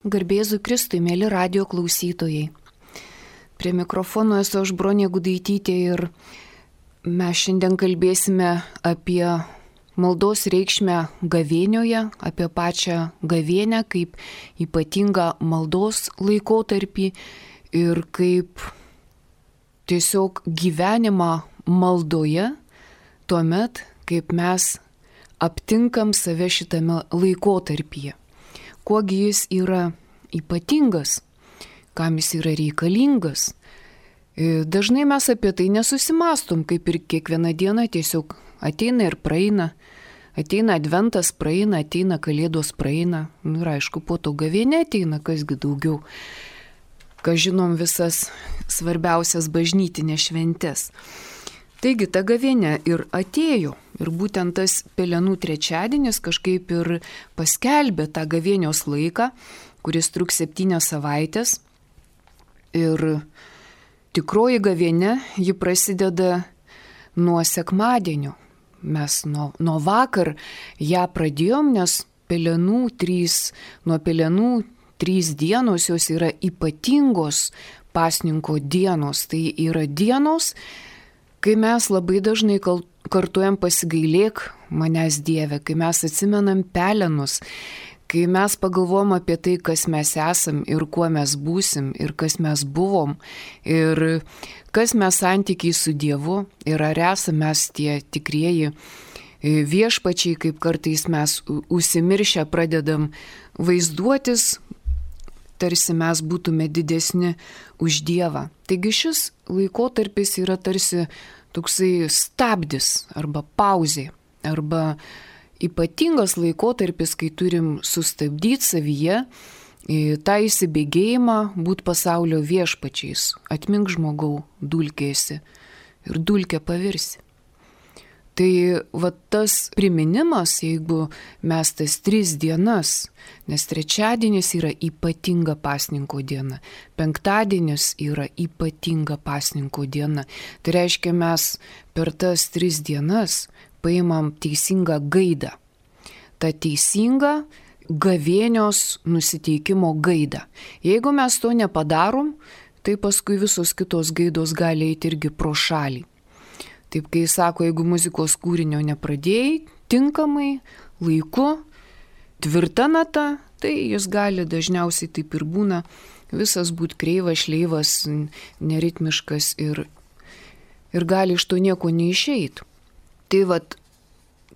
Garbėzu Kristui, mėly radio klausytojai. Prie mikrofono esu aš Bronė Gudaitytė ir mes šiandien kalbėsime apie maldos reikšmę gavėnioje, apie pačią gavėnią kaip ypatingą maldos laikotarpį ir kaip tiesiog gyvenimą maldoje, tuomet, kaip mes aptinkam save šitame laikotarpyje. Kuogi jis yra ypatingas, kam jis yra reikalingas. Dažnai mes apie tai nesusimastom, kaip ir kiekvieną dieną tiesiog ateina ir praeina. Ateina adventas, praeina, ateina kalėdos, praeina. Ir aišku, po to gavėnė ateina, kasgi daugiau. Ką žinom visas svarbiausias bažnytinės šventės. Taigi ta gavėnė ir atėjo. Ir būtent tas Pelenų trečiadienis kažkaip ir paskelbė tą gavėnios laiką, kuris truks 7 savaitės. Ir tikroji gavėnė, ji prasideda nuo sekmadienio. Mes nuo vakar ją pradėjom, nes nuo Pelenų 3 dienos jos yra ypatingos pasninko dienos. Tai yra dienos, kai mes labai dažnai kartuojam pasigailėk manęs Dieve, kai mes atsimenam pelenus, kai mes pagalvom apie tai, kas mes esam ir kuo mes būsim ir kas mes buvom ir kas mes santykiai su Dievu ir ar esame mes tie tikrieji viešpačiai, kaip kartais mes užsimiršę pradedam vaizduotis, tarsi mes būtume didesni už Dievą. Taigi šis laikotarpis yra tarsi toksai stabdis arba pauzė, arba ypatingas laikotarpis, kai turim sustabdyti savyje tą įsibėgėjimą, būt pasaulio viešpačiais. Atmink žmogau, dulkėsi ir dulkė pavirsi. Tai va tas priminimas, jeigu mes tas 3 dienas, nes trečiadienis yra ypatinga pasninko diena, penktadienis yra ypatinga pasninko diena. Tai reiškia, mes per tas 3 dienas paimam teisingą gaidą. Ta teisinga gavėnios nusiteikimo gaida. Jeigu mes to nepadarom, tai paskui visos kitos gaidos gali eiti irgi pro šalį. Taip, kai sako, jeigu muzikos kūrinio nepradėjai tinkamai, laiku, tvirta nata, tai jis gali dažniausiai taip ir būna visas būti kreivas, šleivas, neritmiškas ir gali iš to nieko neišeit. Tai vat,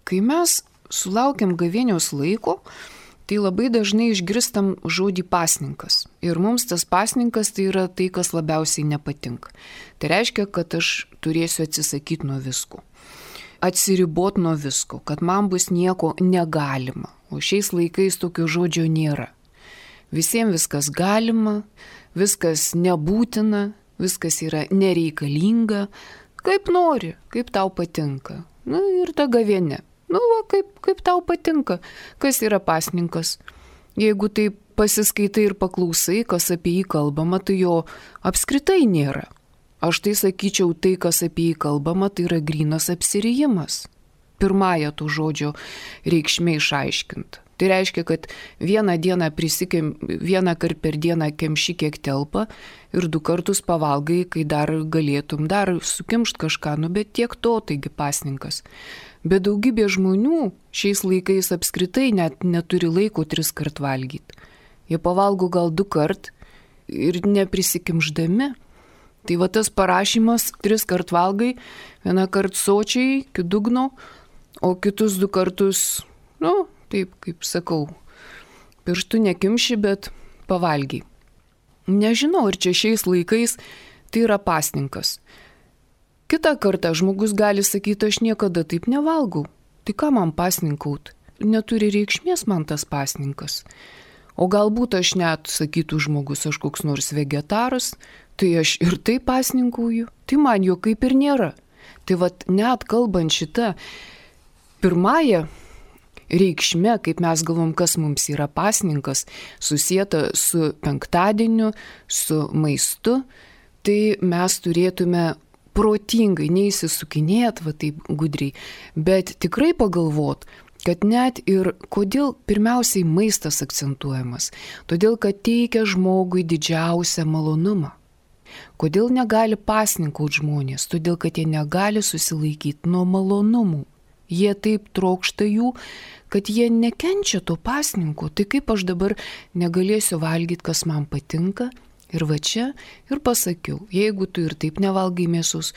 kai mes sulaukiam gavėnios laiko, tai labai dažnai išgirstam žodį pasninkas. Ir mums tas pasninkas tai yra tai, kas labiausiai nepatinka. Tai reiškia, kad aš turėsiu atsisakyti nuo visko. Atsiribot nuo visko, kad man bus nieko negalima. O šiais laikais tokio žodžio nėra. Visiems viskas galima, viskas nebūtina, viskas yra nereikalinga. Kaip nori, kaip tau patinka. Ir ta gavėnė. Kaip tau patinka, kas yra pasninkas. Jeigu taip pasiskaitai ir paklausai, kas apie jį kalbama, tai jo apskritai nėra. Aš tai sakyčiau, tai, kas apie jį kalbama, tai yra grynas apsirijimas. Pirmąją to žodžio reikšmė išaiškinta. Tai reiškia, kad vieną kart per dieną kemši kiek telpa ir 2 kartus pavalgai, kai dar galėtum dar sukimšt kažką, bet tiek to, taigi pasninkas. Bet daugybė žmonių šiais laikais apskritai net neturi laiko 3 kart valgyti. Jie pavalgo gal 2 kart ir neprisikimždami. Tai va tas parašymas 3 kart valgai, 1 kart sočiai iki dugno, o kitus 2 kartus, taip kaip sakau, pirštų nekimši, bet pavalgiai. Nežinau, ar čia šiais laikais tai yra pasninkas. Kitą kartą žmogus gali sakyti, aš niekada taip nevalgau. Tai ką man pasninkaut? Neturi reikšmės man tas pasninkas. O galbūt aš net, sakytų žmogus, aš koks nors vegetaras, tai aš ir taip pasninkauju. Tai man jo kaip ir nėra. Tai vat net kalbant šitą pirmąją reikšme, kaip mes galvom, kas mums yra pasninkas, susieta su penktadieniu, su maistu, tai mes turėtume protingai, neįsisukinėt, va taip gudriai, bet tikrai pagalvot, kad net ir kodėl pirmiausiai maistas akcentuojamas, todėl kad teikia žmogui didžiausią malonumą. Kodėl negali pasninkauti žmonės, todėl kad jie negali susilaikyti nuo malonumų. Jie taip trokšta jų, kad jie nekenčia to pasninko. Tai kaip aš dabar negalėsiu valgyti, kas man patinka. Ir va čia ir pasakiau, jeigu tu ir taip nevalgai mėsos,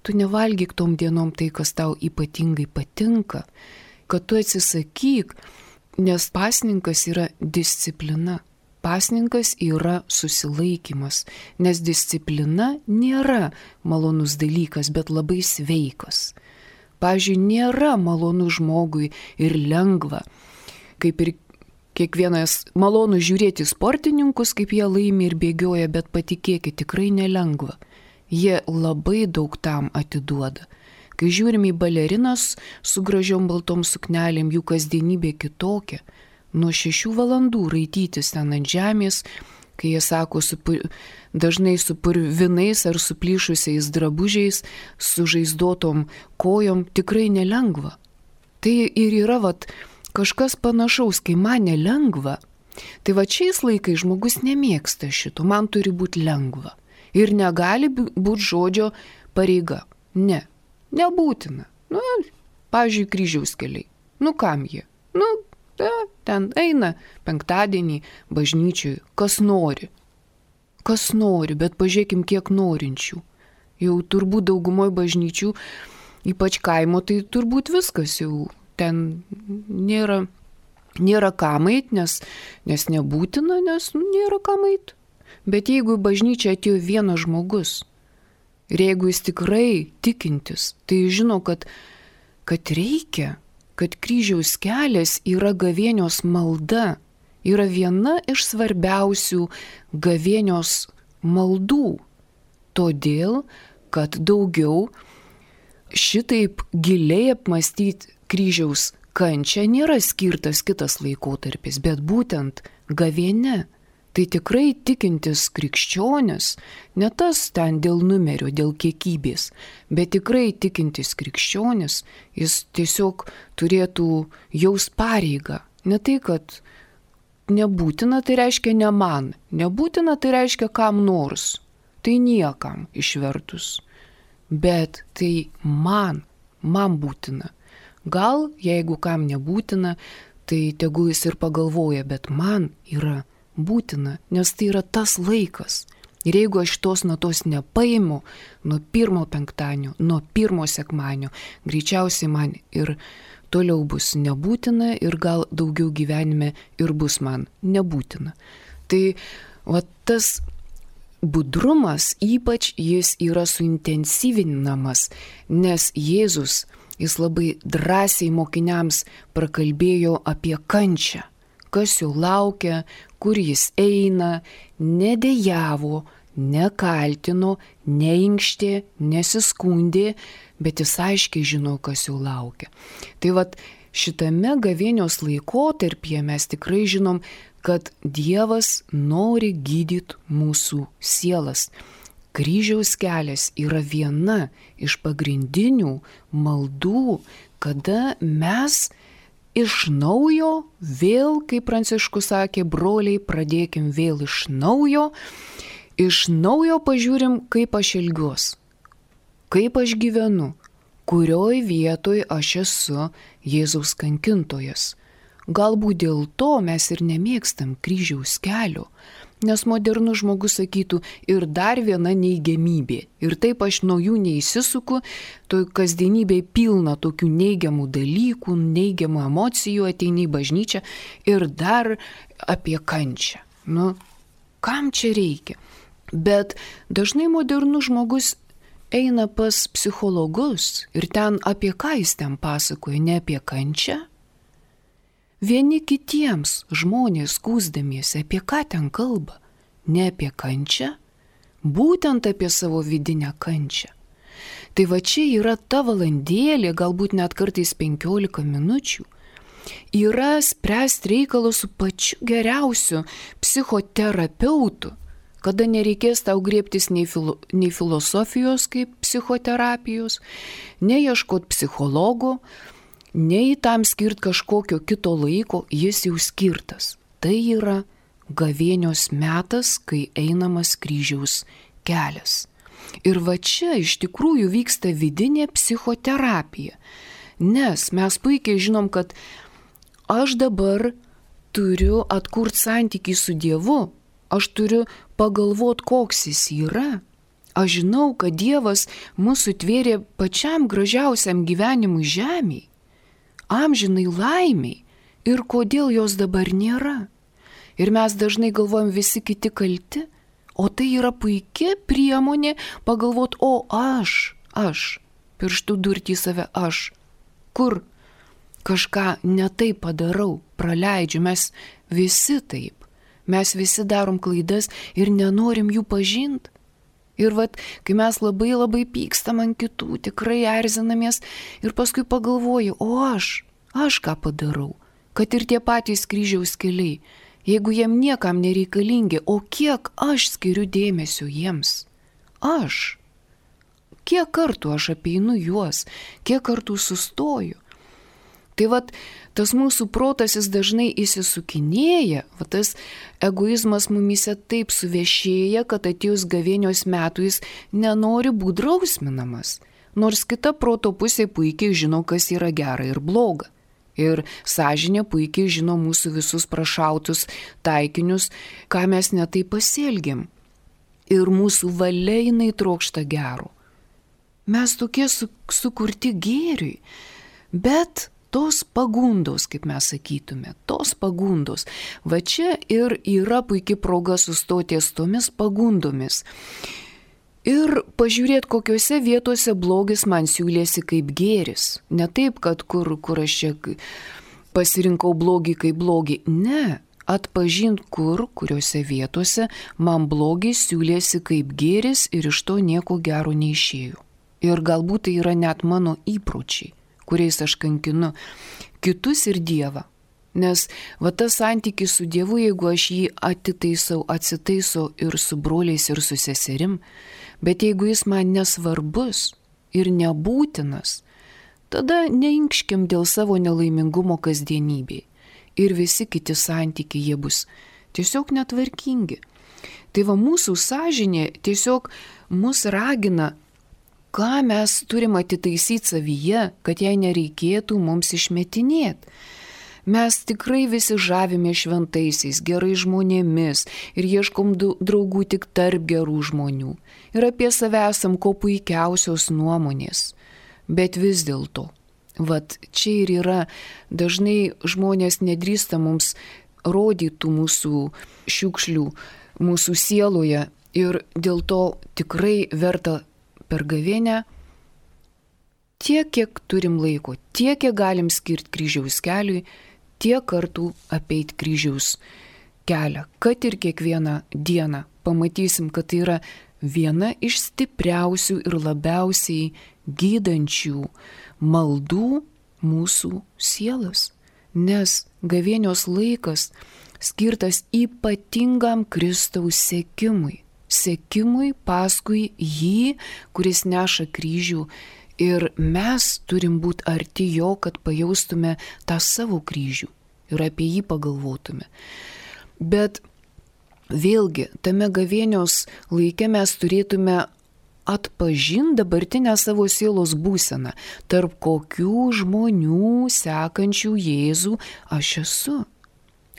tu nevalgyk tom dienom tai, kas tau ypatingai patinka, kad tu atsisakyk, nes pasninkas yra disciplina. Pasninkas yra susilaikymas, nes disciplina nėra malonus dalykas, bet labai sveikas. Pavyzdžiui, nėra malonu žmogui ir lengva, kaip ir kiekvienas malonu žiūrėti sportininkus, kaip jie laimi ir bėgioja, bet patikėkit, tikrai nelengva. Jie labai daug tam atiduoda. Kai žiūrim į balerinas su gražiom baltom suknelėm, jų kasdienybė kitokia. Nuo 6 valandų raitytis ten ant žemės, kai jie sako dažnai su purvinais ar suplyšusiais drabužiais, su žaizdotom kojom, tikrai nelengva. Tai ir yra kažkas panašaus, kai man nelengva. Tai šiais laikais žmogus nemėgsta šito, man turi būti lengva. Ir negali būti žodžio pareiga. Ne, nebūtina. Pavyzdžiui, kryžiaus keliai. Kam jie? Ten eina penktadienį bažnyčiui, kas nori. Kas nori, bet pažiūrėkim, kiek norinčių. Jau turbūt daugumoje bažnyčių, ypač kaimo, tai turbūt viskas jau ten nėra kam eit, nes nebūtina, nes nėra kam eit. Bet jeigu į bažnyčią atėjo vienas žmogus, ir jeigu jis tikrai tikintis, tai žino, kad reikia, kad kryžiaus kelias yra gavėnios malda, yra viena iš svarbiausių gavėnios maldų. Todėl, kad daugiau šitaip giliai apmastyti kryžiaus kančią nėra skirtas kitas laikotarpis, bet būtent gavėnia. Tai tikrai tikintis krikščionis, ne tas ten dėl numerio, dėl kiekybės, bet tikrai tikintis krikščionis, jis tiesiog turėtų jaus pareigą. Ne tai, kad nebūtina, tai reiškia ne man, nebūtina, tai reiškia kam nors, tai niekam išvertus, bet tai man būtina. Gal, jeigu kam nebūtina, tai tegul jis ir pagalvoja, bet man yra būtina, nes tai yra tas laikas. Ir jeigu aš tos natos nepaimu nuo 1 penktadienio, nuo 1 sekmadienio, greičiausiai man ir toliau bus nebūtina ir gal daugiau gyvenime ir bus man nebūtina. Tai tas budrumas ypač jis yra suintensyvinamas, nes Jėzus, jis labai drąsiai mokiniams prakalbėjo apie kančią. Kas jo laukia, kur jis eina, nedejavo, nekaltino, neinkštė, nesiskundė, bet jis aiškiai žino, kas jo laukia. Tai šitame gavėnios laikotarpyje mes tikrai žinom, kad Dievas nori gydyti mūsų sielas. Kryžiaus kelias yra viena iš pagrindinių maldų, kada mes iš naujo vėl, kaip Pranciškus sakė, broliai, pradėkim vėl iš naujo pažiūrim, kaip aš elgiuos, kaip aš gyvenu, kurioj vietoj aš esu Jėzaus kankintojas. Galbūt dėl to mes ir nemėgstam kryžiaus kelio, nes modernus žmogus sakytų ir dar viena neigiamybė. Ir taip aš nuo jų neįsisuku, to kasdienybėje pilna tokių neigiamų dalykų, neigiamų emocijų, ateini į bažnyčią ir dar apie kančią. Kam čia reikia? Bet dažnai modernus žmogus eina pas psichologus ir ten apie ką jis ten pasakoja, ne apie kančią. Vieni kitiems žmonės skųsdamiesi, apie ką ten kalba, ne apie kančią, būtent apie savo vidinę kančią. Tai čia yra ta valandėlė, galbūt net kartais 15 minučių, yra spręsti reikalus su pačiu geriausiu psichoterapeutu, kada nereikės tau griebtis nei filosofijos kaip psichoterapijos, neieškot psichologo, nei tam skirt kažkokio kito laiko, jis jau skirtas. Tai yra gavėnios metas, kai einamas kryžiaus kelias. Ir va čia iš tikrųjų vyksta vidinė psichoterapija. Nes mes puikiai žinom, kad aš dabar turiu atkurti santykį su Dievu, aš turiu pagalvoti, koks jis yra. Aš žinau, kad Dievas mūsų tvėrė pačiam gražiausiam gyvenimui žemėje, amžinai laimiai, ir kodėl jos dabar nėra. Ir mes dažnai galvojam, visi kiti kalti, o tai yra puikia priemonė pagalvoti, o aš, pirštų durti į save aš, kur kažką netaip padarau, praleidžiu, mes visi taip, mes visi darom klaidas ir nenorim jų pažinti. Ir vat, kai mes labai pykstam ant kitų, tikrai erzinamės ir paskui pagalvoju, o aš ką padarau, kad ir tie patys kryžiaus keliai, jeigu jiem niekam nereikalingi, o kiek aš skiriu dėmesio jiems, kiek kartų aš apeinu juos, kiek kartų sustoju. Tai vat, tas mūsų protas jis dažnai įsisukinėja, vat tas egoizmas mumise taip suvešėja, kad atėjus gavėnios metų jis nenori būti drausminamas, nors kita proto pusė puikiai žino, kas yra gera ir bloga. Ir sąžinė puikiai žino mūsų visus prašautus taikinius, ką mes netai pasielgiam. Ir mūsų valia jinai trokšta gero. Mes tokie sukurti gėriui, bet tos pagundos, kaip mes sakytume, tos pagundos. Va čia ir yra puikia proga sustoti ties tomis pagundomis. Ir pažiūrėti, kokiuose vietose blogis man siūlėsi kaip gėris. Ne taip, kad kur aš čia pasirinkau blogį kaip blogį. Ne, atpažint kuriuose vietose man blogis siūlėsi kaip gėris ir iš to nieko gero neišėjo. Ir galbūt tai yra net mano įpročiai, kuriais aš kankinu kitus ir Dievą. Nes va tas santykis su Dievu, jeigu aš jį atsitaisau ir su broliais ir su seserim, bet jeigu jis man nesvarbus ir nebūtinas, tada neinkškim dėl savo nelaimingumo kasdienybėje. Ir visi kiti santykiai jie bus tiesiog netvarkingi. Tai va mūsų sąžinė tiesiog mus ragina, ką mes turim atitaisyti savyje, kad jai nereikėtų mums išmetinėti. Mes tikrai visi žavime šventaisiais, gerai žmonėmis ir ieškom draugų tik tarp gerų žmonių. Ir apie save esam ko puikiausios nuomonės. Bet vis dėlto, vat čia ir yra, dažnai žmonės nedrįsta mums rodytų mūsų šiukšlių, mūsų sieloje ir dėl to tikrai verta per gavėnią tiek, kiek turim laiko, tiek, kiek galim skirti kryžiaus keliui, tiek kartų apeit kryžiaus kelią, kad ir kiekvieną dieną pamatysim, kad tai yra viena iš stipriausių ir labiausiai gydančių maldų mūsų sielas. Nes gavėnios laikas skirtas ypatingam Kristaus sekimui paskui jį, kuris neša kryžių. Ir mes turim būti arti jo, kad pajaustume tą savo kryžių ir apie jį pagalvotume. Bet vėlgi, tame gavėnios laike mes turėtume atpažinti dabartinę savo sielos būseną, tarp kokių žmonių sekančių Jėzų aš esu.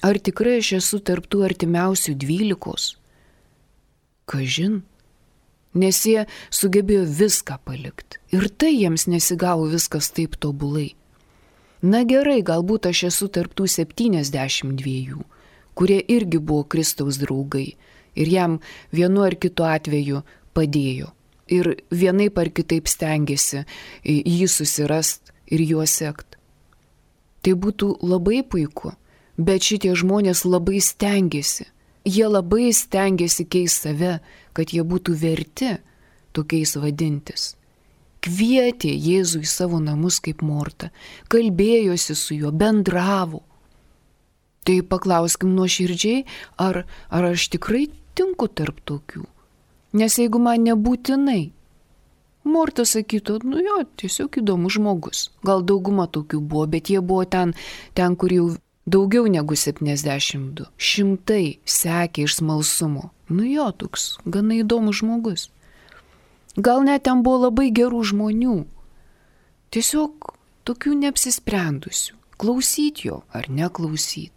Ar tikrai aš esu tarp tų artimiausių 12? Kažin. Nes jie sugebėjo viską palikti. Ir tai jiems nesigavo viskas taip tobulai. Na gerai, galbūt aš esu tarptų 72, kurie irgi buvo Kristaus draugai ir jam vienu ar kitu atveju padėjo. Ir vienaip ar kitaip stengiasi jį susirast ir juo sekt. Tai būtų labai puiku, bet šitie žmonės labai stengiasi. Jie labai stengiasi keisti save, kad jie būtų verti tokiais vadintis. Kvietė Jėzų į savo namus kaip Morta, kalbėjosi su juo, bendravo. Tai paklauskim nuoširdžiai, ar aš tikrai tinku tarp tokių. Nes jeigu man nebūtinai, Morta sakytų, nu jo, tiesiog įdomus žmogus. Gal dauguma tokių buvo, bet jie buvo ten kur jau daugiau negu 72. Šimtai sekė iš smalsumo. Nu jo, toks gana įdomus žmogus. Gal net ten buvo labai gerų žmonių. Tiesiog tokių neapsisprendusių. Klausyt jo ar neklausyt.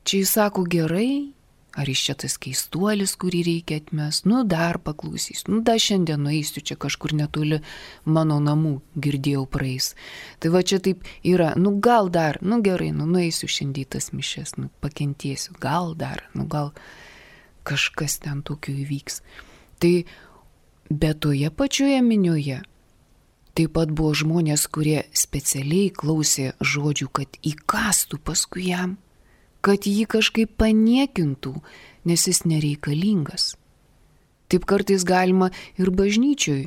Čia jis sako gerai, ar iš čia tas keistuolis, kurį reikia atmest. Nu dar paklausys, nu dar šiandien nueisiu, čia kažkur netoli mano namų, girdėjau praeis. Tai va čia taip yra, nu gal dar, nu gerai, nu nueisiu šiandien tas mišes, nu pakentėsiu, gal dar, nu gal kažkas ten tokio įvyks. Tai bet toje pačioje minioje taip pat buvo žmonės, kurie specialiai klausė žodžių, kad įkastų paskui jam, kad jį kažkaip paniekintų, nes jis nereikalingas. Taip kartais galima ir bažnyčioj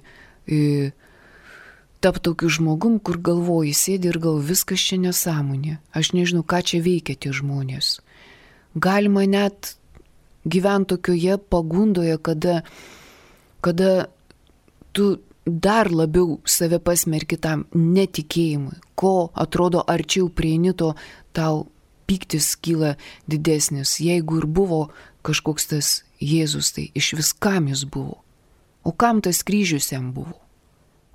tapti tokiu žmogum, kur galvoji, sėdi ir gal viskas čia nesąmonė. Aš nežinau, ką čia veikia tie žmonės. Galima net gyventi tokioje pagundoje, kada tu dar labiau save pasmerki tam netikėjimui, ko atrodo arčiau prieini, to tau pyktis kyla didesnis. Jeigu ir buvo kažkoks tas Jėzus, tai iš vis kam jis buvo? O kam tas kryžius jam buvo?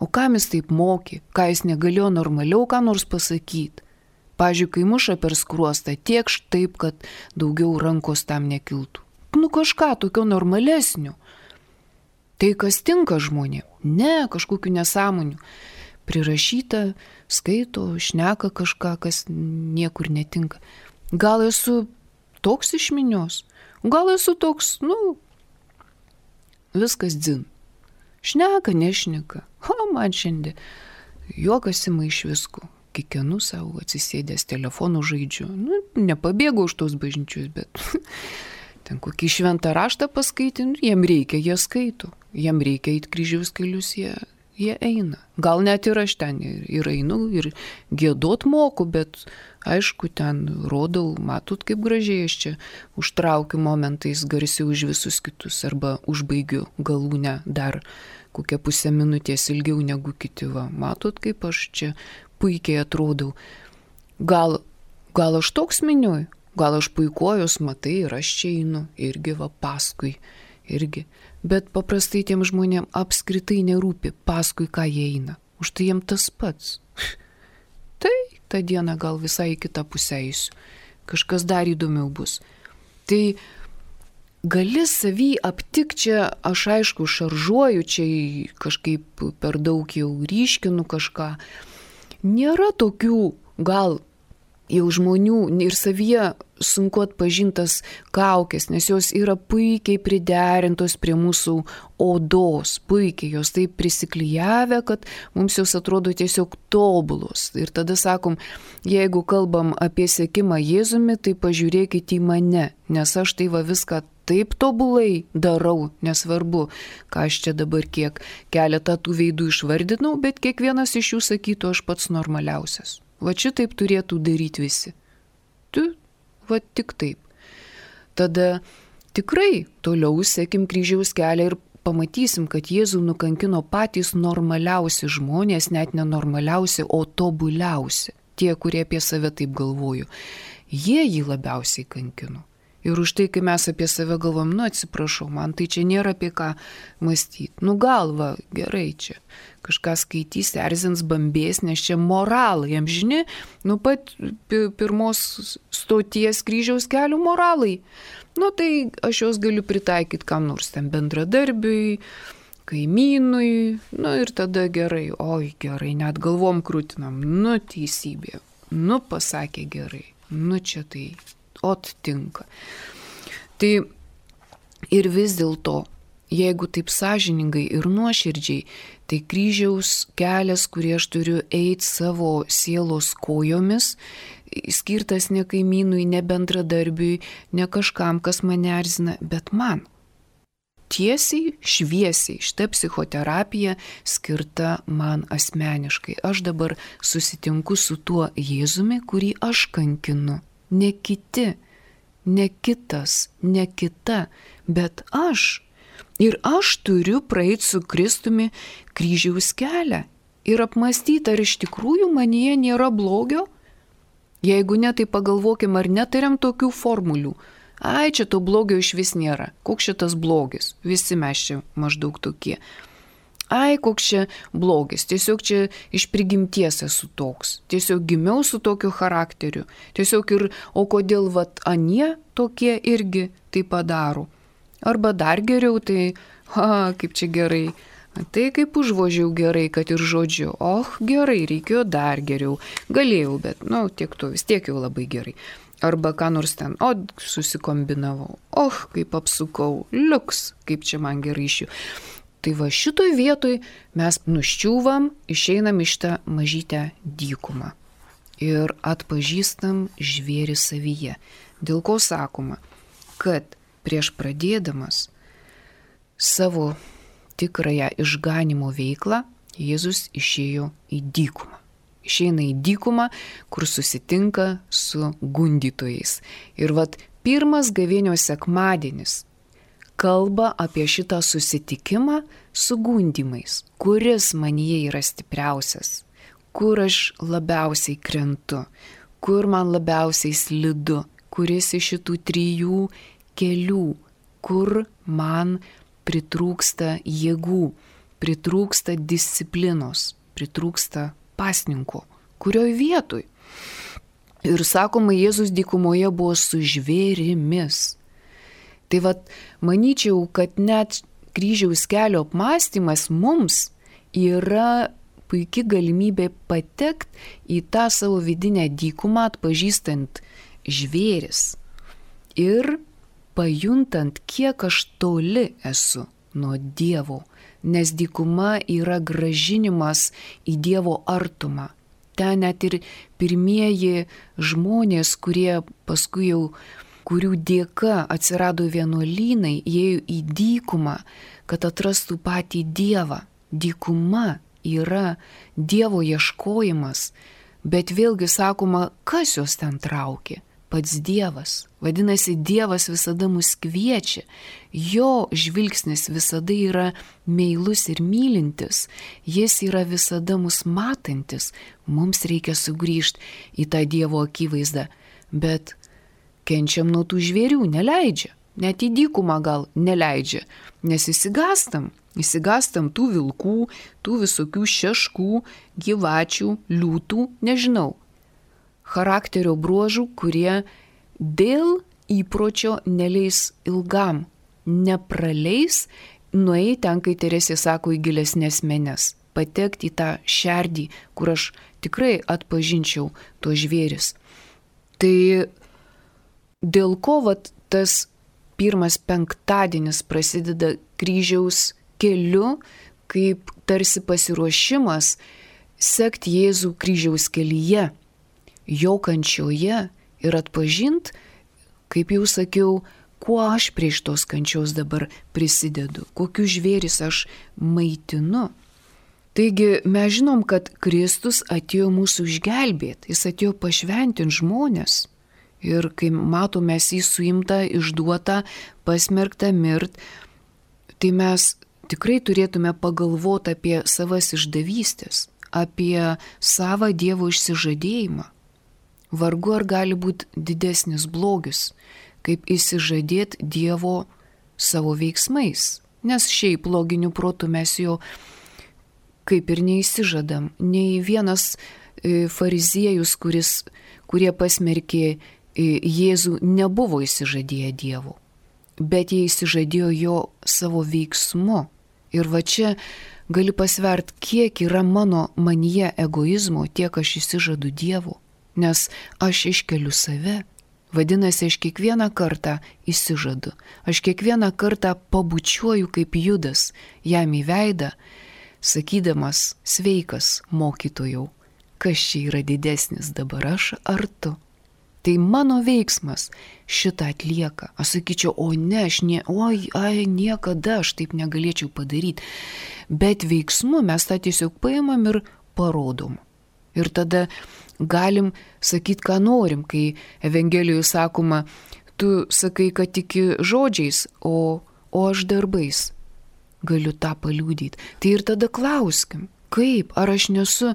O kam jis taip mokė? Ką jis negalėjo normaliau ką nors pasakyti? Pavyzdžiui, kai muša per skruostą, tiekš taip, kad daugiau rankos tam nekiltų. Nu kažką tokio normalesnio. Tai kas tinka žmonėm? Ne, kažkokių nesąmonių. Prirašyta, skaito, šneka kažką, kas niekur netinka. Gal esu toks iš minios, gal esu toks, viskas dzin. Šneka, nešneka. Man šiandien juokas ima iš visko. Kikenu savo, atsisėdęs telefonų žaidžiu. Nepabėgau už tos bažnyčius, bet ten kokį šventą raštą paskaitin, jiem reikia, jie skaito. Jiem reikia eiti kryžiaus kelius, jie eina. Gal net ir aš ten ir einu, ir giedot moku, bet aišku, ten rodau, matot, kaip gražiai aš čia užtraukiu momentais garsiau už visus kitus, arba užbaigiu galūnę dar kokią pusę minutės ilgiau negu kiti. Va, matot, kaip aš čia puikiai atrodau. Gal aš toks miniuoju, gal aš puikuojus, matai, ir aš čia einu, irgi va paskui, irgi. Bet paprastai tiem žmonėm apskritai nerūpi, paskui ką jie eina. Už tai jiem tas pats. Tai tą dieną gal visai kitą pusę eisiu. Kažkas dar įdomiau bus. Tai gali savy aptik čia, aš aišku šaržuoju, čia kažkaip per daug jau ryškinu kažką. Nėra tokių gal jau žmonių ir savyje sunku atpažintas kaukės, nes jos yra puikiai priderintos prie mūsų odos, puikiai jos taip prisiklijavę, kad mums jos atrodo tiesiog tobulos. Ir tada sakom, jeigu kalbam apie sekimą Jėzumi, tai pažiūrėkite į mane, nes aš tai va viską taip tobulai darau, nesvarbu, ką aš čia dabar kiek keletą tų veidų išvardinau, bet kiekvienas iš jų sakytų, aš pats normaliausias. Va šitaip turėtų daryti visi. Va tik taip. Tada tikrai toliau sekim kryžiaus kelią ir pamatysim, kad Jėzų nukankino patys normaliausi žmonės, net nenormaliausi, o tobuliausi. Tie, kurie apie save taip galvoju. Jie jį labiausiai kankino. Ir už tai, kai mes apie save galvom, atsiprašau, man tai čia nėra apie ką mąstyti. Galva, gerai čia. Kažką skaitys, erzins, bambės, nes čia moralai, jam žini, pat pirmos stoties kryžiaus kelių moralai. Tai aš juos galiu pritaikyti kam nors ten bendradarbiui, kaimynui, ir tada gerai, oi gerai, net galvom krūtinam, teisybė, pasakė gerai, čia tai, tinka. Tai ir vis dėlto, jeigu taip sąžiningai ir nuoširdžiai, tai kryžiaus kelias, kurį aš turiu eiti savo sielos kojomis, skirtas ne kaimynui, ne bendradarbiui, ne kažkam, kas mane erzina, bet man. Tiesiai, šviesiai, šita psichoterapija skirta man asmeniškai. Aš dabar susitinku su tuo Jėzumi, kurį aš kankinu. Ne kiti, ne kitas, ne kita, bet aš, Ir aš turiu praeiti su Kristumi kryžiaus kelią ir apmąstyti, ar iš tikrųjų manyje nėra blogio. Jeigu ne, tai pagalvokim, ar netariam tokių formulių. Ai, čia to blogio iš vis nėra. Koks šitas blogis? Visi mes čia maždaug tokie. Ai, koks čia blogis. Tiesiog čia iš prigimties esu toks. Tiesiog gimiau su tokiu charakteriu. Tiesiog ir, o kodėl vat anie tokie irgi tai padaro. Arba dar geriau, tai, kaip čia gerai. Tai kaip užvožiau gerai, kad ir žodžiu. Gerai, reikėjo dar geriau. Galėjau, bet, tiek to vis tiek jau labai gerai. Arba ką nors ten, susikombinavau. Kaip apsukau, liuks, kaip čia man gerai iš jų. Tai va šitoj vietoj mes nuščiūvam, išeinam iš tą mažytę dykumą. Ir atpažįstam žvėrį savyje. Dėl ko sakoma, kad prieš pradėdamas savo tikrąją išganimo veiklą, Jėzus išėjo į dykumą. Išeina į dykumą, kur susitinka su gundytojais. Ir pirmas gavėnios sekmadienis kalba apie šitą susitikimą su gundymais, kuris manyje yra stipriausias, kur aš labiausiai krentu, kur man labiausiai slidu, kuris iš šitų 3 kelių, kur man pritrūksta jėgų, pritrūksta disciplinos, pritrūksta pasninko, kurioj vietoj. Ir sakoma, Jėzus dykumoje buvo su žvėrimis. Tai manyčiau, kad net kryžiaus kelio apmąstymas mums yra puikia galimybė patekti į tą savo vidinę dykumą, atpažįstant žvėris ir pajuntant, kiek aš toli esu nuo Dievo, nes dykuma yra grąžinimas į Dievo artumą. Ten net ir pirmieji žmonės, kurie paskui jau, kurių dėka atsirado vienuolynai, ėjo į dykumą, kad atrastų patį Dievą. Dykuma yra Dievo ieškojimas, bet vėlgi sakoma, kas jos ten traukė? Pats Dievas. Vadinasi, Dievas visada mus kviečia. Jo žvilgsnis visada yra meilus ir mylintis. Jis yra visada mus matantis. Mums reikia sugrįžti į tą Dievo akivaizdą. Bet kenčiam nuo tų žvėrių, neleidžia. Net į dykumą gal neleidžia. Nes įsigastam tų vilkų, tų visokių šeškų, gyvačių, liūtų, nežinau. Charakterio bruožų, kurie dėl įpročio neleis ilgam, nepraleis, nueiti ten, kai Teresė sako, į gilesnės menes, patekti į tą šerdį, kur aš tikrai atpažinčiau tuos žvėris. Tai dėl ko tas pirmas penktadienis prasideda kryžiaus keliu, kaip tarsi pasiruošimas sekti Jėzų kryžiaus kelyje, jo kančioje ir atpažint, kaip jau sakiau, kuo aš prie šitos kančios dabar prisidedu, kokius žvėris aš maitinu. Taigi mes žinom, kad Kristus atėjo mūsų išgelbėti, jis atėjo pašventinti žmonės. Ir kai matome jį suimtą, išduotą, pasmerktą mirt, tai mes tikrai turėtume pagalvoti apie savas išdavystės, apie savą Dievo išsižadėjimą. Vargu ar gali būti didesnis blogis, kaip išsižadėti Dievo savo veiksmais. Nes šiaip loginiu protu mes jo kaip ir neįsižadam. Nei vienas fariziejus, kurie pasmerkė Jėzų, nebuvo įsižadėję Dievo. Bet jie įsižadėjo jo savo veiksmu. Ir va čia gali pasvert, kiek yra manyje egoizmo, tiek aš įsižadu Dievo. Nes aš iškeliu save. Vadinasi, aš kiekvieną kartą įsižadu. Aš kiekvieną kartą pabučiuoju kaip Judas jam į veidą, sakydamas, sveikas mokytojau, kas čia yra didesnis dabar, aš ar tu? Tai mano veiksmas šitą atlieka. Aš sakyčiau, niekada aš taip negalėčiau padaryti. Bet veiksmu mes tą tiesiog paimam ir parodom. Ir tada galim sakyti, ką norim, kai Evangelijoje sakoma, tu sakai, kad tiki žodžiais, o o aš darbais galiu tą paliudyti. Tai ir tada klauskim, kaip, ar aš nesu,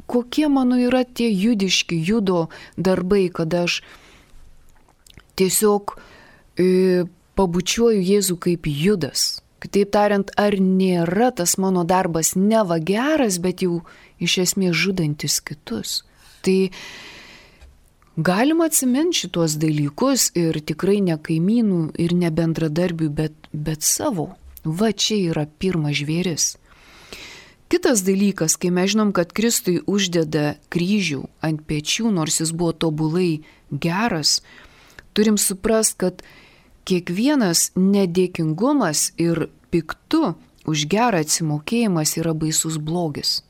kokie mano yra tie judiški judo darbai, kada aš tiesiog pabučiuoju Jėzų kaip Judas. Kitaip tariant, ar nėra tas mano darbas neva geras, bet jau iš esmės žudantis kitus. Tai galima atsiminti šitos dalykus ir tikrai ne kaimynų ir ne bendradarbių, bet savo. Va čia yra pirmas žvėris. Kitas dalykas, kai mes žinom, kad Kristui uždeda kryžių ant pečių, nors jis buvo tobulai geras, turim suprast, kad kiekvienas nedėkingumas ir piktu už gerą atsimokėjimas yra baisus blogis.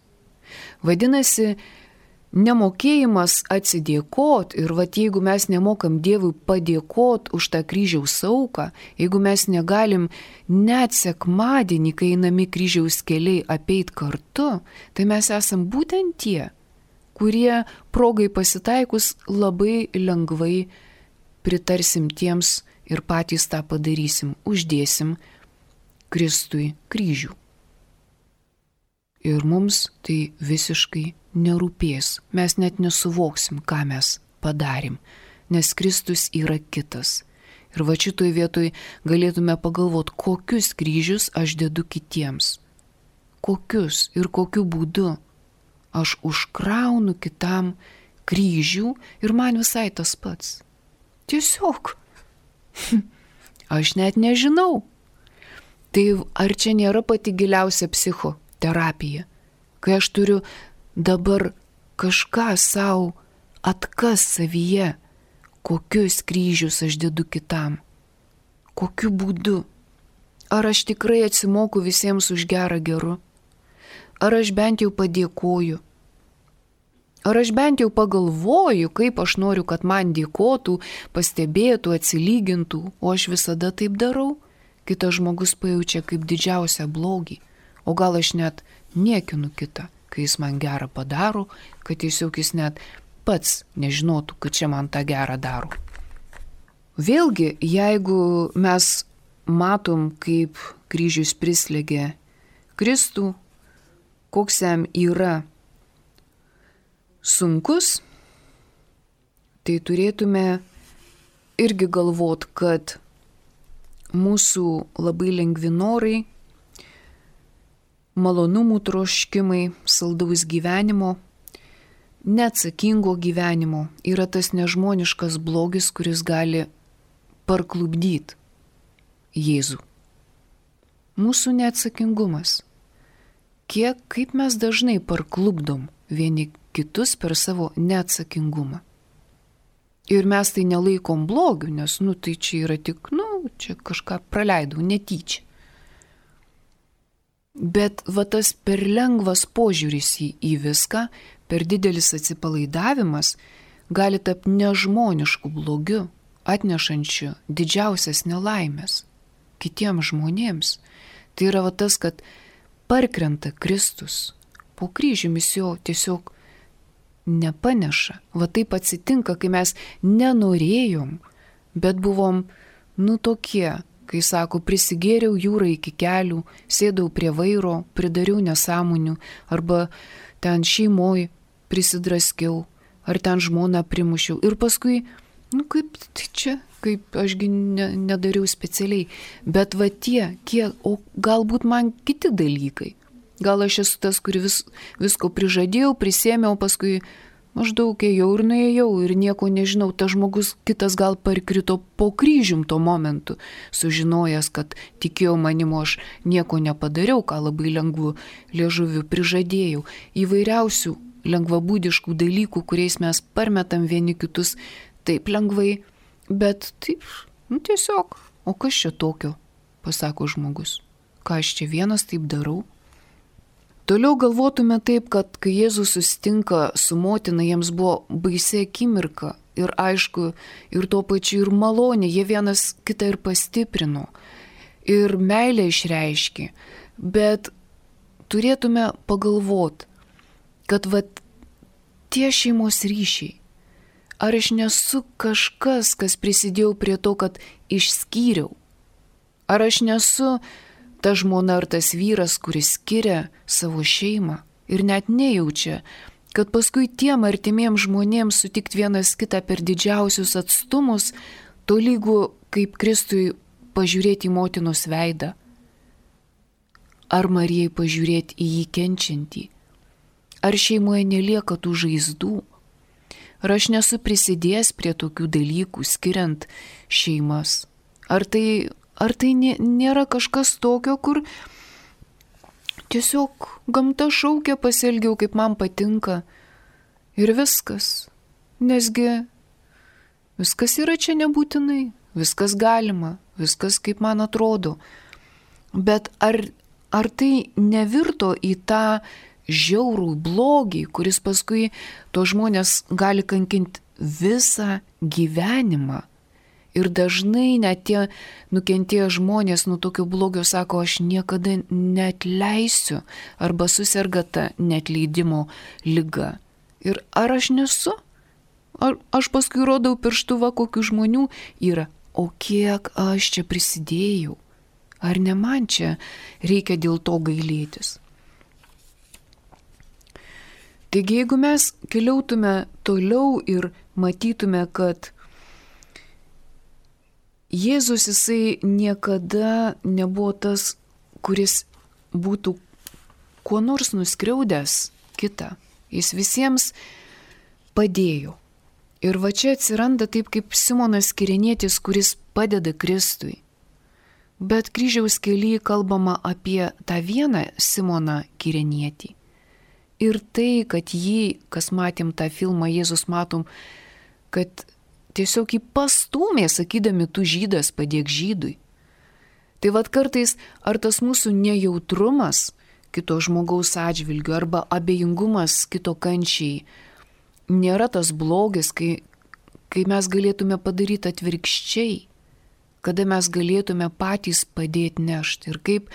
Vadinasi, nemokėjimas atsidėkot ir jeigu mes nemokam Dievui padėkot už tą kryžiaus auką, jeigu mes negalim net sekmadienį, kai einami kryžiaus keliai apeit kartu, tai mes esam būtent tie, kurie progai pasitaikus labai lengvai pritarsim tiems ir patys tą padarysim, uždėsim Kristui kryžių. Ir mums tai visiškai nerūpės, mes net nesuvoksim, ką mes padarėm, nes Kristus yra kitas. Ir va šitoj vietoj galėtume pagalvoti, kokius kryžius aš dedu kitiems. Kokius ir kokiu būdu aš užkraunu kitam kryžių ir man visai tas pats. Tiesiog. Aš net nežinau. Tai ar čia nėra pati giliausia psichoterapija, kai aš turiu dabar kažką savo atkas savyje, kokius kryžius aš dedu kitam, kokiu būdu, ar aš tikrai atsimoku visiems už gerą geru, ar aš bent jau padėkoju, ar aš bent jau pagalvoju, kaip aš noriu, kad man dėkotų, pastebėtų, atsilygintų, o aš visada taip darau, kitas žmogus pajaučia kaip didžiausią blogį, o gal aš net niekinu kitą, kai jis man gerą padaro, kad tiesiog jis net pats nežinotų, kad čia man tą gerą daro. Vėlgi, jeigu mes matom, kaip kryžius prislėgia Kristų, koks jam yra sunkus, tai turėtume irgi galvot, kad mūsų labai lengvi norai, malonumų troškimai, saldaus gyvenimo, neatsakingo gyvenimo yra tas nežmoniškas blogis, kuris gali parklupdyti Jėzų. Mūsų neatsakingumas. Kaip mes dažnai parklupdom vieni kitus per savo neatsakingumą. Ir mes tai nelaikom blogiu, nes, tai čia yra tik, čia kažką praleidau, netyčia. Bet tas per lengvas požiūris į viską, per didelis atsipalaidavimas gali tapti nežmonišku blogiu, atnešančiu didžiausias nelaimės kitiems žmonėms. Tai yra tas, kad parkrenta Kristus, po kryžiumi jo tiesiog nepaneša. Taip atsitinka, kai mes nenorėjom, bet buvom, tokie, kai sako, prisigėriau jūrą iki kelių, sėdau prie vairo, pridariau nesąmonių, arba ten šeimoj prisidraskiau, ar ten žmoną primušiau. Ir paskui, kaip tai čia, kaip ašgi nedariau specialiai. Bet o galbūt man kiti dalykai. Gal aš esu tas, kuris visko prižadėjau, prisėmiau, paskui maždaug ėjau ir nuėjau ir nieko nežinau. Tas žmogus kitas gal parkrito po kryžium tuo momentu, sužinojęs, kad tikėjau manimo, aš nieko nepadariau, ką labai lengvu liežuviu prižadėjau. Įvairiausių lengvabūdiškų dalykų, kuriais mes parmetam vieni kitus taip lengvai, bet taip, tiesiog, o kas čia tokio, pasako žmogus. Ką aš čia vienas taip darau? Toliau galvotume taip, kad kai Jėzus susitinka su motina, jiems buvo baisi akimirka ir aišku, ir tuo pačiu ir malonė, jie vienas kitą ir pastiprino, ir meilę išreiškė, bet turėtume pagalvoti, kad tie šeimos ryšiai, ar aš nesu kažkas, kas prisidėjau prie to, kad išskyriau, Ar aš nesu ta žmona ar tas vyras, kuris skiria savo šeimą ir net nejaučia, kad paskui tiem artimiem žmonėms sutikti vienas kitą per didžiausius atstumus, tolygų kaip Kristui pažiūrėti į motinos veidą. Ar Marijai pažiūrėti į jį kenčiantį. Ar šeimoje nelieka tų žaizdų. Ar aš nesu prisidėjęs prie tokių dalykų, skiriant šeimas. Ar tai nėra kažkas tokio, kur tiesiog gamta šaukia, pasielgiau kaip man patinka ir viskas. Nesgi viskas yra čia nebūtinai, viskas galima, viskas kaip man atrodo. Bet ar tai nevirto į tą žiaurų blogį, kuris paskui to žmonės gali kankinti visą gyvenimą? Ir dažnai net tie nukentėję žmonės nuo tokio blogio sako, aš niekada neatleisiu arba suserga ta neatleidimo liga. Ir ar aš nesu? Ar aš paskui rodau pirštuvą, kokių žmonių yra? O kiek aš čia prisidėjau? Ar ne man čia reikia dėl to gailėtis? Taigi, jeigu mes keliautume toliau ir matytume, kad Jėzus jisai niekada nebuvo tas, kuris būtų kuo nors nuskriaudęs kitą. Jis visiems padėjo. Ir va čia atsiranda taip kaip Simonas Kirenietis, kuris padeda Kristui. Bet kryžiaus kelyje kalbama apie tą vieną Simoną Kirenietį. Ir tai, kad jį, kas matėm tą filmą, Jėzus matom, kad tiesiog jį pastūmė, sakydami, tu žydas, padėk žydui. Tai vad kartais, ar tas mūsų nejautrumas kito žmogaus atžvilgiu arba abejingumas kito kančiai nėra tas blogis, kai mes galėtume padaryti atvirkščiai, kada mes galėtume patys padėti nešti. Ir kaip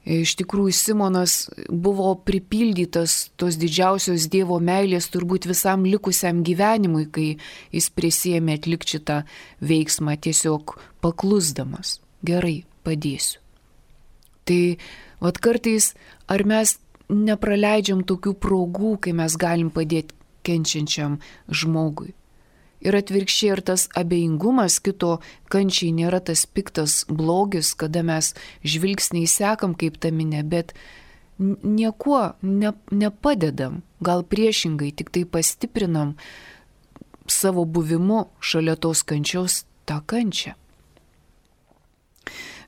iš tikrųjų Simonas buvo pripildytas tos didžiausios Dievo meilės turbūt visam likusiam gyvenimui, kai jis prisiėmė atlikti šitą veiksmą tiesiog paklusdamas. Gerai, padėsiu. Tai vat kartais ar mes nepraleidžiam tokių progų, kai mes galim padėti kenčiančiam žmogui. Ir atvirkščiai, ir tas abejingumas kito kančiai nėra tas piktas blogis, kada mes žvilgsniai sekam kaip ta minė, bet niekuo nepadedam, gal priešingai, tik tai pastiprinam savo buvimu šalia tos kančios tą kančią.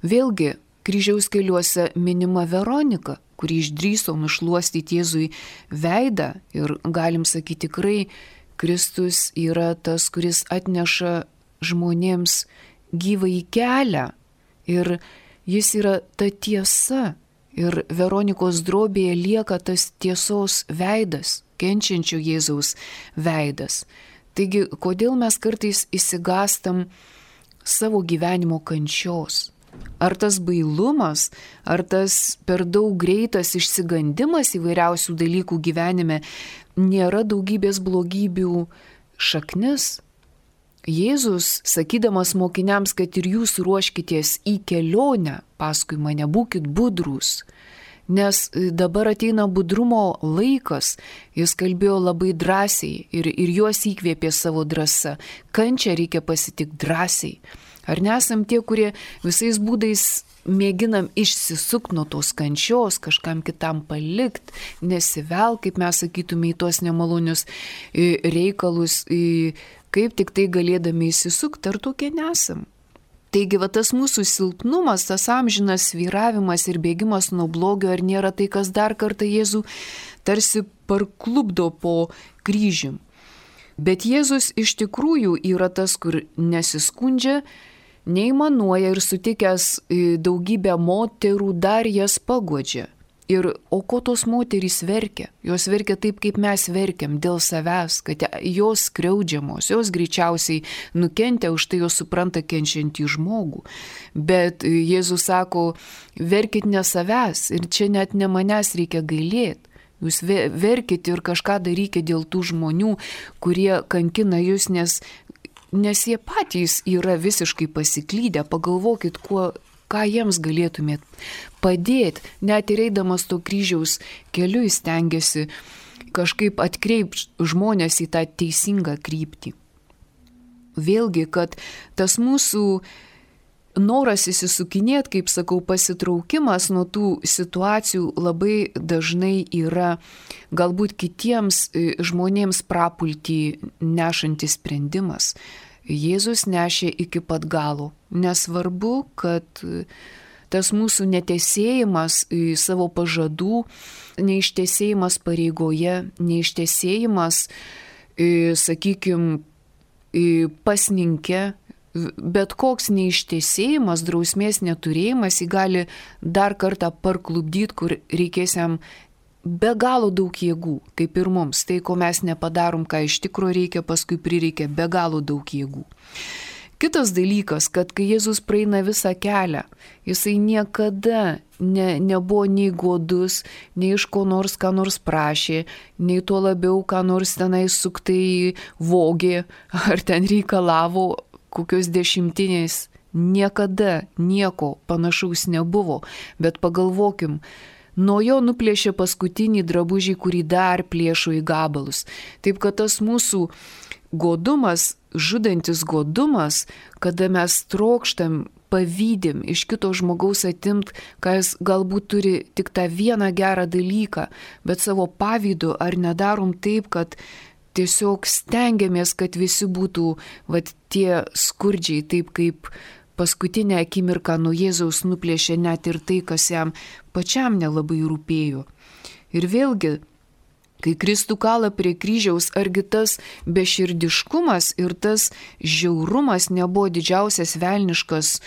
Vėlgi, kryžiaus keliuose minima Veronika, kuri išdrįso nušluostyti Jėzui veidą ir galim sakyti tikrai, Kristus yra tas, kuris atneša žmonėms gyvąjį kelią ir jis yra ta tiesa ir Veronikos drobėje lieka tas tiesos veidas, kenčiančio Jėzaus veidas. Taigi, kodėl mes kartais išsigąstam savo gyvenimo kančios? Ar tas bailumas, ar tas per daug greitas išsigandimas įvairiausių dalykų gyvenime nėra daugybės blogybių šaknis? Jėzus, sakydamas mokiniams, kad ir jūs ruoškitės į kelionę, paskui mane būkit budrūs, nes dabar ateina budrumo laikas, jis kalbėjo labai drąsiai ir juos įkvėpė savo drąsa. Kančią reikia pasitikti drąsiai. Ar nesam tie, kurie visais būdais mėginam išsisukti nuo tos kančios, kažkam kitam palikti, nesivel, kaip mes sakytume, į tos nemalonius reikalus, kaip tik tai galėdami išsisukti, ar tokie nesam. Taigi, va tas mūsų silpnumas, tas amžinas svyravimas ir bėgimas nuo blogio, ar nėra tai, kas dar kartą Jėzų tarsi parklupdo po kryžium. Bet Jėzus iš tikrųjų yra tas, kur nesiskundžia, neįmanuoja ir sutikęs daugybę moterų dar jas paguodžia. O ko tos moterys verkia? Jos verkia taip, kaip mes verkiam, dėl savęs, kad jos skriaudžiamos, jos greičiausiai nukentė, už tai jos supranta kenčiantį žmogų. Bet Jėzus sako, verkit ne savęs ir čia net ne manęs reikia gailėti. Jūs verkit ir kažką darykite dėl tų žmonių, kurie kankina jūs, nes jie patys yra visiškai pasiklydę. Pagalvokit, ką jiems galėtumėt padėti. Net ir eidamas to kryžiaus keliu jis stengiasi kažkaip atkreipti žmonės į tą teisingą kryptį. Vėlgi, kad tas mūsų noras įsisukinėti, kaip sakau, pasitraukimas nuo tų situacijų labai dažnai yra galbūt kitiems žmonėms prapultį nešantis sprendimas. Jėzus nešė iki pat galo. Nesvarbu, kad tas mūsų netesėjimas savo pažadų, neištesėjimas pareigoje, neištesėjimas, sakykime, pasninke, bet koks neištesėjimas, drausmės neturėjimas, jį gali dar kartą parklubdyti, kur reikės jam be galo daug jėgų, kaip ir mums. Tai, ko mes nepadarom, ką iš tikrųjų reikia, paskui prireikia be galo daug jėgų. Kitas dalykas, kad kai Jėzus praeina visą kelią, jisai niekada nebuvo nei godus, nei iš ko nors ką nors prašė, nei tuo labiau ką nors tenai suktai vogė, ar ten reikalavo kokios dešimtinės. Niekada nieko panašaus nebuvo, bet pagalvokim, nuo jo nuplėšė paskutinį drabužį, kurį dar plėšo į gabalus. Taip kad tas mūsų godumas, žudantis godumas, kada mes trokštam, pavydim iš kito žmogaus atimt, ką jis galbūt turi tik tą vieną gerą dalyką, bet savo pavydu ar nedarom taip, kad tiesiog stengiamės, kad visi būtų tie skurdžiai, taip kaip paskutinę akimirką nuo Jėzaus nuplėšė net ir tai, kas jam pačiam nelabai rūpėjo. Ir vėlgi, kai Kristų kala prie kryžiaus, argi tas beširdiškumas ir tas žiaurumas nebuvo didžiausias velniškas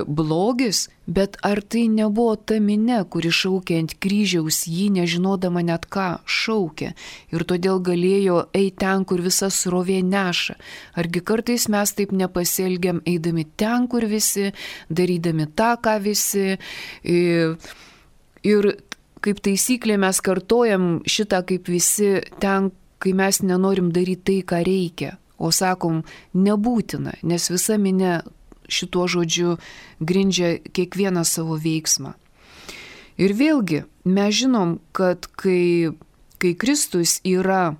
blogis, bet ar tai nebuvo ta minia, kuri šaukė ant kryžiaus jį, nežinodama net ką šaukė, ir todėl galėjo eiti ten, kur visa srovė neša. Argi kartais mes taip nepasielgiam, eidami ten, kur visi, darydami tą, ką visi, ir kaip taisyklė mes kartojam šitą kaip visi ten, kai mes nenorim daryti tai, ką reikia, o sakom nebūtina, nes visa minia šituo žodžiu grindžia kiekvieną savo veiksmą. Ir vėlgi mes žinom, kad kai Kristus yra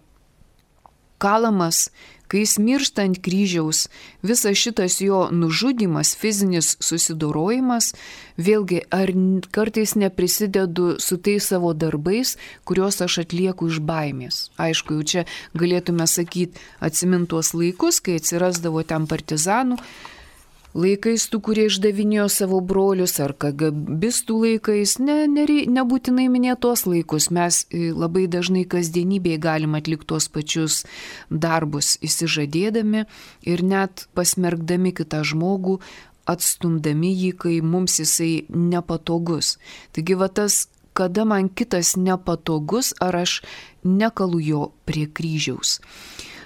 kalamas, kai jis miršta ant kryžiaus, visas šitas jo nužudymas, fizinis susidorojimas, vėlgi ar kartais neprisidedu su tais savo darbais, kuriuos aš atlieku iš baimės. Aišku, jau čia galėtume sakyti, atsimint tuos laikus, kai atsirasdavo ten partizanų, laikais tų, kurie išdavinėjo savo brolius, ar KGBistų laikais, nebūtinai minėtos laikus, mes labai dažnai kasdienybėje galim atlikti tuos pačius darbus, įsižadėdami ir net pasmergdami kitą žmogų, atstumdami jį, kai mums jisai nepatogus. Taigi tas, kada man kitas nepatogus, ar aš nekalu jo prie kryžiaus.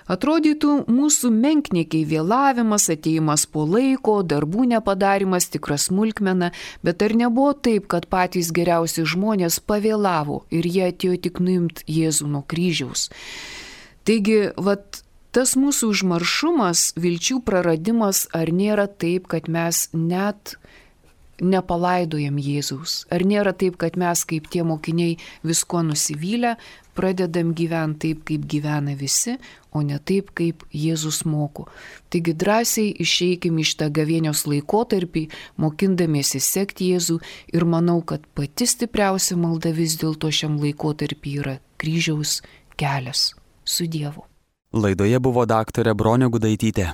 Atrodytų mūsų menkniekiai vėlavimas, atėjimas po laiko, darbų nepadarimas, tikra smulkmena, bet ar nebuvo taip, kad patys geriausi žmonės pavėlavo ir jie atėjo tik nuimti Jėzų nuo kryžiaus. Taigi, tas mūsų užmaršumas, vilčių praradimas, ar nėra taip, kad mes net nepalaidojam Jėzaus? Ar nėra taip, kad mes kaip tie mokiniai visko nusivylę, pradedam gyventi taip, kaip gyvena visi, o ne taip, kaip Jėzus moko. Taigi drąsiai išeikim iš tą gavėnios laikotarpį, mokindamiesi sekti Jėzų, ir manau, kad pati stipriausia malda vis dėlto šiam laikotarpį yra kryžiaus kelias su Dievu. Laidoje buvo daktarė Bronė Gudaitytė.